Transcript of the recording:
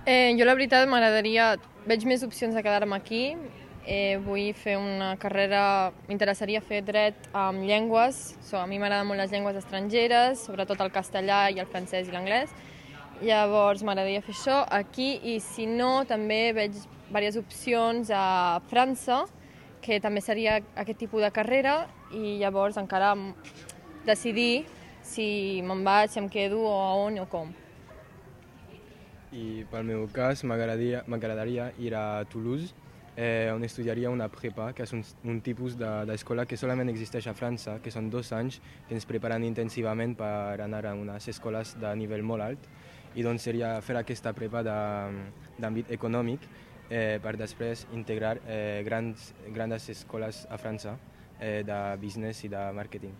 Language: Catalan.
Jo la veritat veig més opcions de quedar-me aquí. Vull fer una carrera, m'interessaria fer dret amb llengües. A mi m'agraden molt les llengües estrangeres, sobretot el castellà i el francès i l'anglès. Llavors m'agradaria fer això aquí i si no també veig diverses opcions a França, que també seria aquest tipus de carrera i llavors encara decidir si me'n vaig, si em quedo o a on o com. I pel meu cas m'agradaria ir a Toulouse, on estudiaria una prepa, que és un tipus d'escola que solament existeix a França, que són 2 anys, que ens preparen intensivament per anar a unes escoles de nivell molt alt, i doncs seria fer aquesta prepa d'àmbit econòmic per després integrar grans escoles a França de business i de màrqueting.